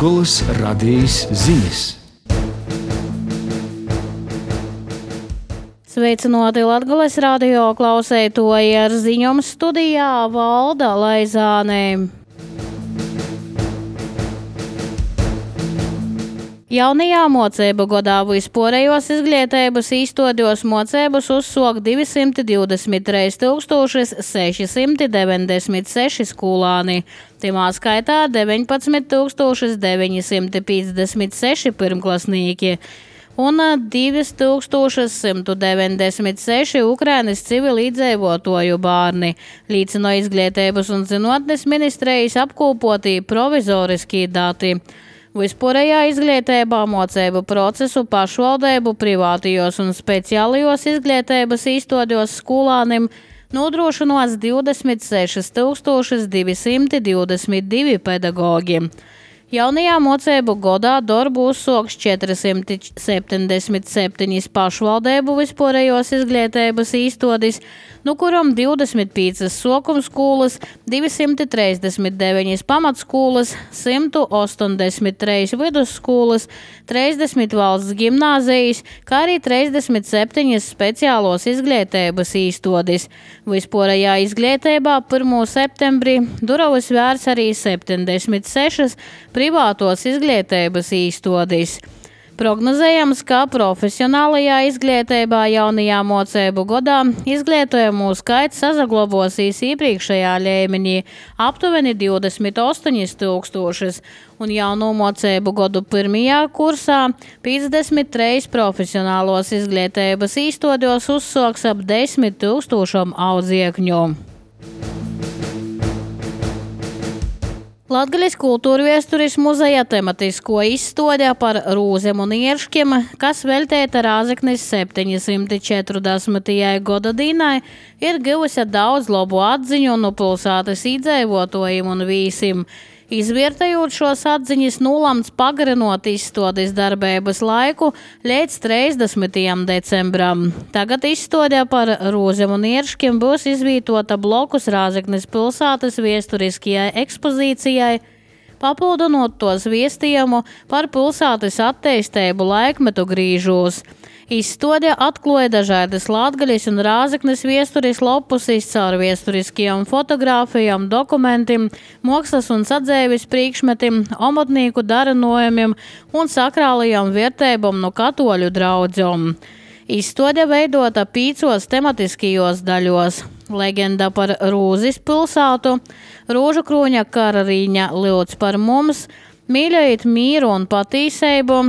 Latgolas radijas ziņas. Sveicināti Latgolas radio klausētoji, ar ziņām studijā Valda Laizāne. Jaunajā mocēbu godā vispārējos izglītības īstodos mocēbus uzsāk 223 696 skolāni. Timā skaitā 19 956 pirmklasnieki un 2196 Ukrainas civilīdzīvotoju bērni, liecina Izglītības un zinātnes ministrijas apkopotī provizoriskie dati. Vispārējā izglītībā mocēbu procesu pašvaldību privātajos un speciālajos izglītības īstodos skolānim nodrošinos 26 222 pedagogi. Jaunajā mocēbu godā darbu uzsāks 477 pašvaldību vispārējos izglītības īstodis, no kuram 25 sokuma skolas, 239 pamatskolas, 183 vidusskolas, 30 valsts gimnāzijas, kā arī 37 speciālos izglītības īstodis. Vispārējā izglītībā 1. septembrī durvis vērs arī 76 privātos izglītības īstodis. Prognozējams, ka profesionālajā izglītībā jaunajā mocēbu godā izglītojumu skaits saglabāsies iepriekšējā līmenī aptuveni 28 000, un jauno mocēbu godu pirmajā kursā 53 profesionālos izglītības īstodos uzsāks ap 10 000 audziekņu. Latgaļas kultūrviesturis muzeja tematisko izstāde par rūzem un ierškiem, kas veltīta Rāzeknes 740. gada dienai, ir guvusi daudz labu atziņu no pilsētas iedzīvotājiem un vīsim. Izvērtējot šos atziņas, nolēmts pagarinot izstādes darbības laiku līdz 30. decembram. Tagad izstāde par rūzem un ierškiem būs izvietota blokus Rāzeknes pilsētas viesturiskajai ekspozīcijai, papildinot tos viestījumu par pilsētas attīstību laikmetu grīžos. Izstāde atklāja dažādas Latgaļas un Rāzeknes viesturis lopusis caur viesturiskajām fotogrāfijām, dokumentiem, mākslas un sadzēves priekšmetiem, omotnieku darinojumiem un sakrālajām vērtībām no katoļu draudzēm. Izstāde veidota 5 tematiskajos daļos. Leģenda par Rūzis pilsētu, Rūžu krūņa kararīņa Ļauds par mums, mīļojiet mīru un patīseibu,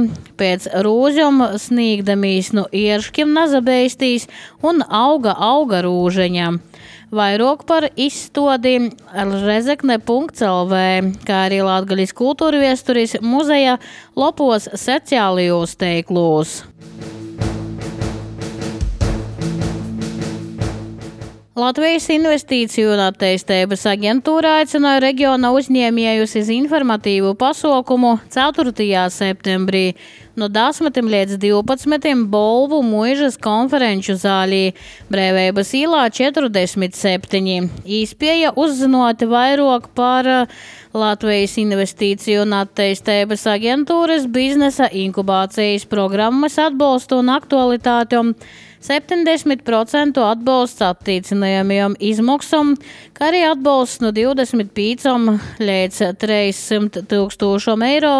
pēc rūžam sniegdamīs no ierškiem nazabeistīs un auga rūžeņa. Vairāk par izstādi rezekne.lv, kā arī Latgaļas kultūrviesturis muzeja lopos sociālajos teiklos. Latvijas investīciju un attīstības aģentūra aicināja reģiona uzņēmējus uz informatīvu pasākumu 4. septembrī no 10 līdz 12 Bolvu muižas konferenču zālī Brēvības īlā 47. Īspēja uzzinot vairāk par Latvijas investīciju un attīstības aģentūras biznesa inkubācijas programmas atbalstu un aktualitātiem, 70% atbalsts attīcinājumiem izmaksām, kā arī atbalsts no 25 līdz 300 000 eiro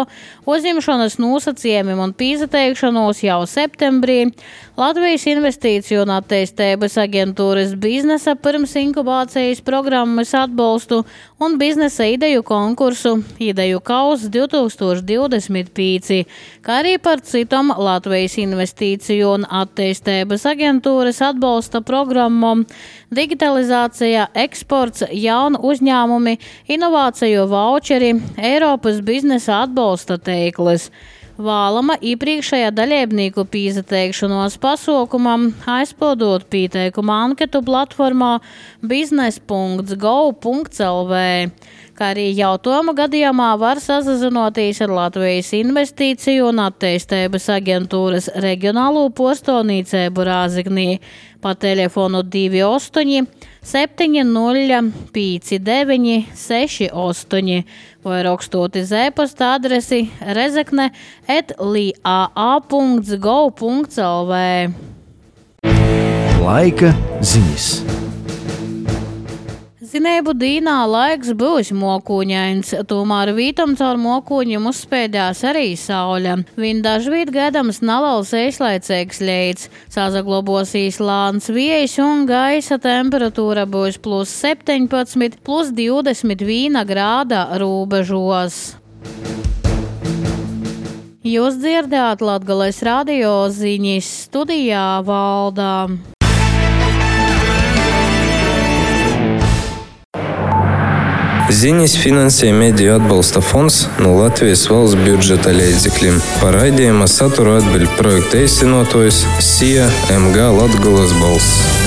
uzņemšanas nosacījumiem un pieteikšanos jau septembrī, Latvijas investīciju un attīstības aģentūras biznesa pirms inkubācijas programmas atbalstu un biznesa ideju konkursu Ideju kauss 2025, kā arī par citam Latvijas investīciju un attīstības aģentūras atbalsta programmām digitalizācija, eksports, jaunu uzņēmumi, inovāciju vaučeri, Eiropas biznesa atbalsta teiklis. Vēlama iepriekšējā dalībnieku pieteikšanos pasākumam aizpildot pieteikuma anketu platformā biznes.go.lv. kā arī jautājuma gadījumā var sazinoties ar Latvijas investīciju un attīstības aģentūras reģionālo postonīcēbu Rāziknī pa telefonu 28 7059 68 vai rakstot uz e-pasta adresi rezekne@lia.gov.lv. Laika ziņas. Zinēbu dīnā laiks būs mokūņains, tomēr vītam caur mokūņiem uzspēdās arī saule. Viņ dažvīt gaidams neliels īslaicīgs leids, sazaglobosīs lāns viejs un gaisa temperatūra būs +17, +21 grāda rūbežos. Jūs dzirdējāt Latgales radio ziņas, studijā Valdā. Ziņas finansē Mediju atbalsta fonds no Latvijas valsts budžeta līdzekļiem. Par raidījuma saturu atbild projekta īstenotājs SIA MG Latgales balss.